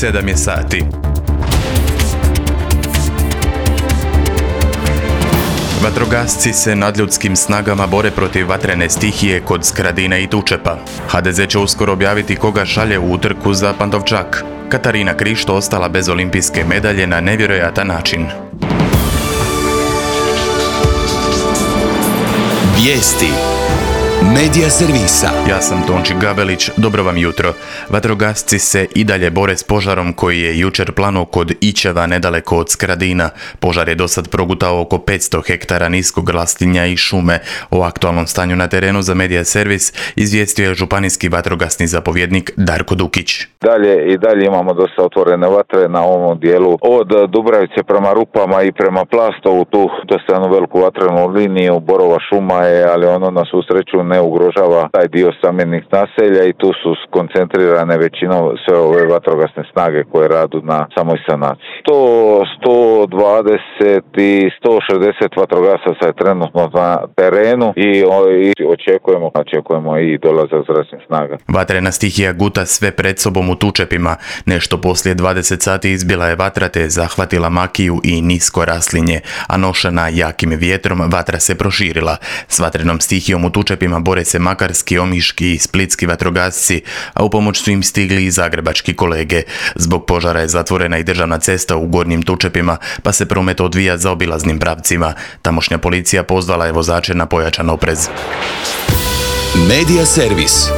7 je sati. Vatrogasci se nadljudskim snagama bore protiv vatrene stihije kod Skradina i Tučepa. HDZ će uskoro objaviti koga šalje u utrku za Pantovčak. Katarina Krišto ostala bez olimpijske medalje na nevjerojatan način. Vijesti Medija servisa. Ja sam Tonči Gabelić, dobro vam jutro. Vatrogasci se i dalje bore s požarom koji je jučer planuo kod Ićeva nedaleko od Skradina. Požar je dosad progutao oko 500 hektara niskog raslinja i šume. O aktualnom stanju na terenu za Medija servis izvijestio je županijski vatrogasni zapovjednik Darko Dukić. Dalje imamo dosta otvorene vatre na ovom dijelu od Dubravice prema Rupama i prema Plastovu, tu dosta jednu veliku vatrenu liniju, borova šuma je, ali ono na svu sreću ne ugrožava taj dio stambenih naselja i tu su skoncentrirane većinom sve ove vatrogasne snage koje radu na samoj sanaciji. 120 i 160 vatrogasaca je trenutno na terenu i očekujemo i dolazak zračnih snaga. Vatrena stihija guta sve pred sobom u Tučepima. Nešto poslije 20 sati izbila je vatra te zahvatila makiju i nisko raslinje, a nošena jakim vjetrom vatra se proširila. S vatrenom stihijom u Tučepima bore se makarski, omiški i splitski vatrogasci, a u pomoć su im stigli i zagrebački kolege. Zbog požara je zatvorena i državna cesta u Gornjim Tučepima, pa se promet odvija zaobilaznim pravcima. Tamošnja policija pozvala je vozače na pojačan oprez. Medija servis.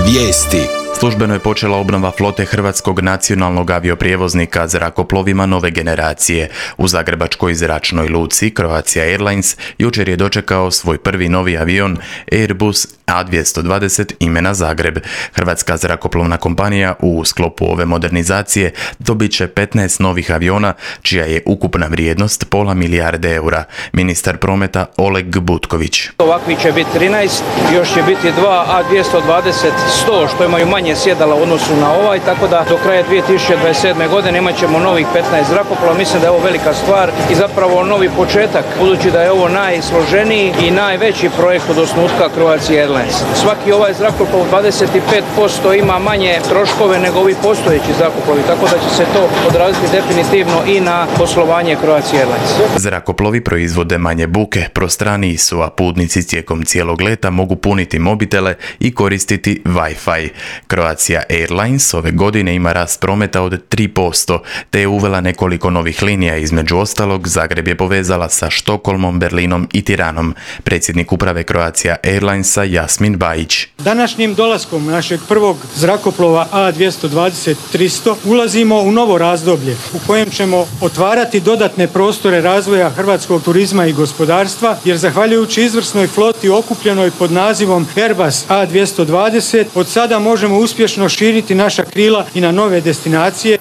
Vijesti. Službeno je počela obnova flote hrvatskog nacionalnog avioprijevoznika zrakoplovima nove generacije. U zagrebačkoj zračnoj luci Croatia Airlines jučer je dočekao svoj prvi novi avion Airbus A220 imena Zagreb. Hrvatska zrakoplovna kompanija u sklopu ove modernizacije dobit će 15 novih aviona, čija je ukupna vrijednost pola milijarde eura. Ministar prometa Oleg Butković. Ovakvi će biti 13, još će biti 2 A220-100 što imaju manje sjedala u odnosu na ovaj, tako da do kraja 2027. godine imat ćemo novih 15 zrakoplova. Mislim da je ovo velika stvar i zapravo novi početak, budući da je ovo najsloženiji i najveći projekt od osnutka Croatia Airlines. Svaki ovaj zrakoplov 25% ima manje troškove nego ovi postojeći zrakoplovi, tako da će se to odraziti definitivno i na poslovanje Croatia Airlines. Zrakoplovi proizvode manje buke, prostraniji su, a putnici tijekom cijelog leta mogu puniti mobitele i koristiti Wi-Fi. Croatia Airlines ove godine ima rast prometa od 3%, te je uvela nekoliko novih linija, između ostalog Zagreb je povezala sa Štokholmom, Berlinom i Tiranom. Predsjednik uprave Croatia Airlinesa Jasmin Bajić. Današnjim dolaskom našeg prvog zrakoplova A220-300 ulazimo u novo razdoblje u kojem ćemo otvarati dodatne prostore razvoja hrvatskog turizma i gospodarstva, jer zahvaljujući izvrsnoj floti okupljenoj pod nazivom Airbus A220 od sada možemo uspješno širiti naša krila i na nove destinacije.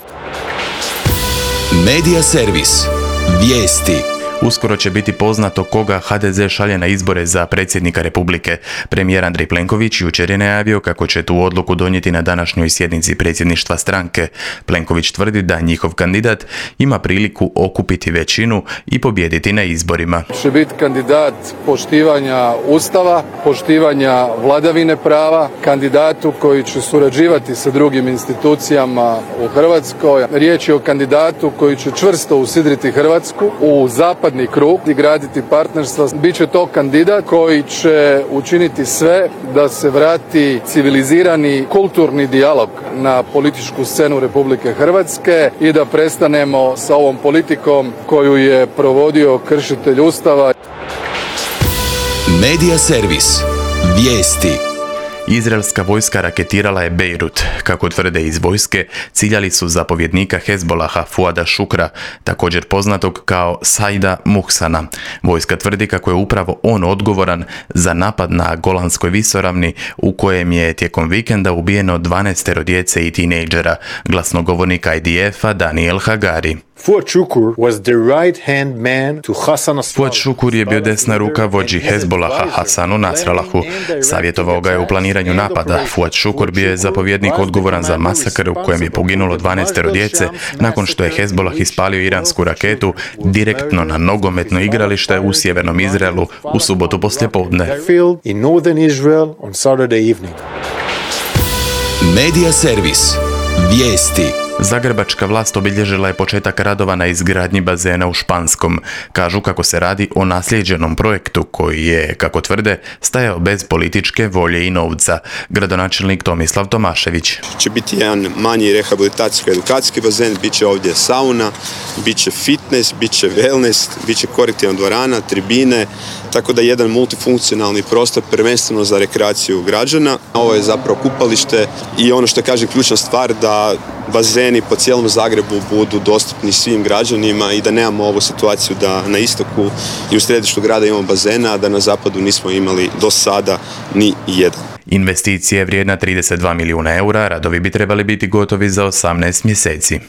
Medija servis. Vijesti. Uskoro će biti poznato koga HDZ šalje na izbore za predsjednika Republike. Premijer Andrej Plenković jučer je najavio kako će tu odluku donijeti na današnjoj sjednici predsjedništva stranke. Plenković tvrdi da njihov kandidat ima priliku okupiti većinu i pobijediti na izborima. Će biti kandidat poštivanja Ustava, poštivanja vladavine prava, kandidatu koji će surađivati sa drugim institucijama u Hrvatskoj. Riječ je o kandidatu koji će čvrsto usidriti Hrvatsku u zapadni krug i graditi partnerstva. Biće to kandidat koji će učiniti sve da se vrati civilizirani kulturni dijalog na političku scenu Republike Hrvatske i da prestanemo sa ovom politikom koju je provodio kršitelj Ustava. Medija servis. Vijesti. Izraelska vojska raketirala je Bejrut. Kako tvrde iz vojske, ciljali su zapovjednika Hezbolaha Fuada Šukra, također poznatog kao Saida Muhsana. Vojska tvrdi kako je upravo on odgovoran za napad na Golanskoj visoravni u kojem je tijekom vikenda ubijeno 12 djece i tinejdžera. Glasnogovornik IDF-a Daniel Hagari. Fuad Šukur je bio desna ruka vođi Hezbolaha Hasanu Nasrallahu. Savjetovao ga je u planiranju napada. Fuad Šukur bio je zapovjednik odgovoran za masakr u kojem je poginulo 12 djece nakon što je Hezbolah ispalio iransku raketu direktno na nogometno igralište u sjevernom Izraelu u subotu poslijepodne. Medija servis. Vijesti. Zagrebačka vlast obilježila je početak radova na izgradnji bazena u Španskom. Kažu kako se radi o naslijeđenom projektu koji je, kako tvrde, stajao bez političke volje i novca. Gradonačelnik Tomislav Tomašević. Će biti jedan manji rehabilitacijsko-edukacijski bazen, bit će ovdje sauna, bit će fitness, bit će wellness, bit će korektivna dvorana, tribine, tako da jedan multifunkcionalni prostor prvenstveno za rekreaciju građana. Ovo je zapravo kupalište i ono što kaže ključna stvar da bazeni po cijelom Zagrebu budu dostupni svim građanima i da nemamo ovu situaciju da na istoku i u središtu grada imamo bazena, a da na zapadu nismo imali do sada ni jedan. Investicija je vrijedna 32 milijuna eura, radovi bi trebali biti gotovi za 18 mjeseci.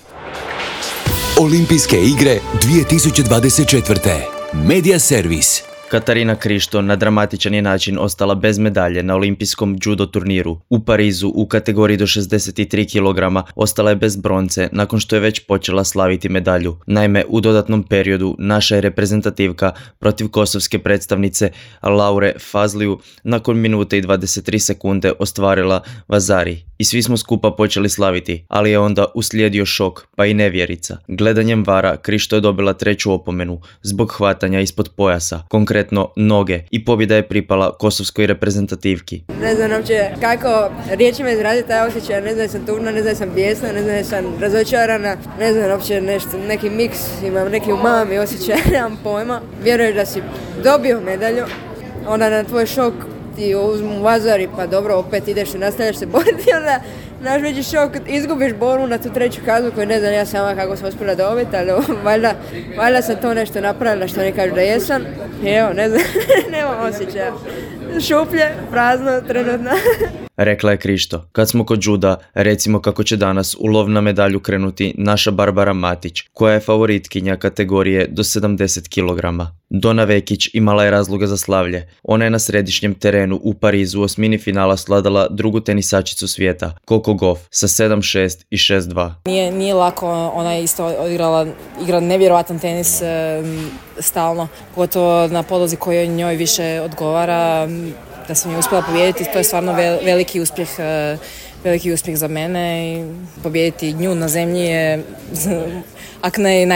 Olimpijske igre 2024. Media servis. Katarina Krišto na dramatičan je način ostala bez medalje na olimpijskom judo turniru. U Parizu u kategoriji do 63 kg ostala je bez bronce nakon što je već počela slaviti medalju. Naime, u dodatnom periodu naša je reprezentativka protiv kosovske predstavnice Laure Fazliju nakon minute i 23 sekunde ostvarila vazari. I svi smo skupa počeli slaviti, ali je onda uslijedio šok, pa i nevjerica. Gledanjem vara Krišto je dobila 3. opomenu zbog hvatanja ispod pojasa, konkretno noge, i pobjeda je pripala kosovskoj reprezentativki. Ne znam uopće kako riječima izraziti taj osjećaj, ne znam sam tužna, ne znam sam bijesna, ne znam sam razočarana, ne znam uopće neki miks, imam neki umami osjećaj, nemam pojma. Vjeruješ da si dobio medalju, onda na tvoj šok ti uzmu vazari, pa dobro, opet ideš i nastavljaš se boriti, onda naš veći šok, izgubiš borbu na tu 3. kaznu koju ne znam ja sama kako sam uspjela dobiti, ali valjda sam to nešto napravila što ne kažu da jesam. I evo, ne znam, nemam osjećaja. Šuplje, prazno, trenutno. Rekla je Krišto. Kad smo kod juda, recimo kako će danas u lov na medalju krenuti naša Barbara Matić, koja je favoritkinja kategorije do 70 kg. Dona Vekić imala je razloga za slavlje. Ona je na središnjem terenu u Parizu u osmini finala sladala drugu tenisačicu svijeta, Coco Gauff, sa 7-6 i 6-2. Nije lako, ona je isto igra nevjerojatan tenis stalno, pogotovo na podlozi koji njoj više odgovara. Da sam je uspjela pobijediti, to je stvarno veliki uspjeh za mene i pobijediti nju na zemlji je ako ne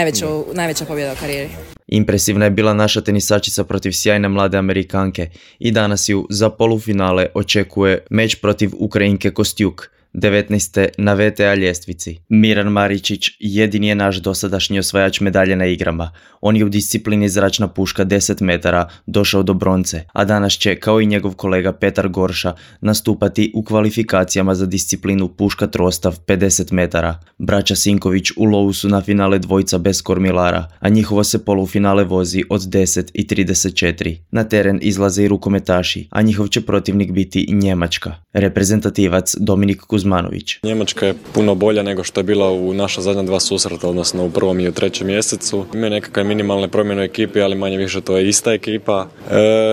najveća pobjeda u karijeri. Impresivna je bila naša tenisačica protiv sjajne mlade Amerikanke i danas ju za polufinale očekuje meč protiv Ukrajinke Kostjuk, 19. na VTA ljestvici. Miran Maričić jedini je naš dosadašnji osvajač medalje na igrama. On je u disciplini zračna puška 10 metara došao do bronce, a danas će, kao i njegov kolega Petar Gorša, nastupati u kvalifikacijama za disciplinu puška trostav 50 metara. Braća Sinković u lovu su na finale dvojca bez kormilara, a njihovo se polufinale vozi od 10 i 34. Na teren izlaze i rukometaši, a njihov će protivnik biti Njemačka. Reprezentativac Dominik Kuzmanović. Njemačka je puno bolja nego što je bila u naša zadnja 2 susreta, odnosno u 1. i u 3. mjesecu. Ima nekakve minimalne promjene u ekipi, ali manje više to je ista ekipa.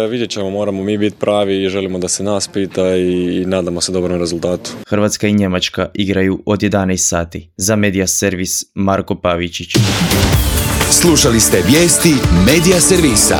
Vidjet ćemo, moramo mi biti pravi i želimo da se nas pita i nadamo se dobrom rezultatu. Hrvatska i Njemačka igraju od 11 sati. Za Media servis Marko Pavičić. Slušali ste vijesti Media servisa.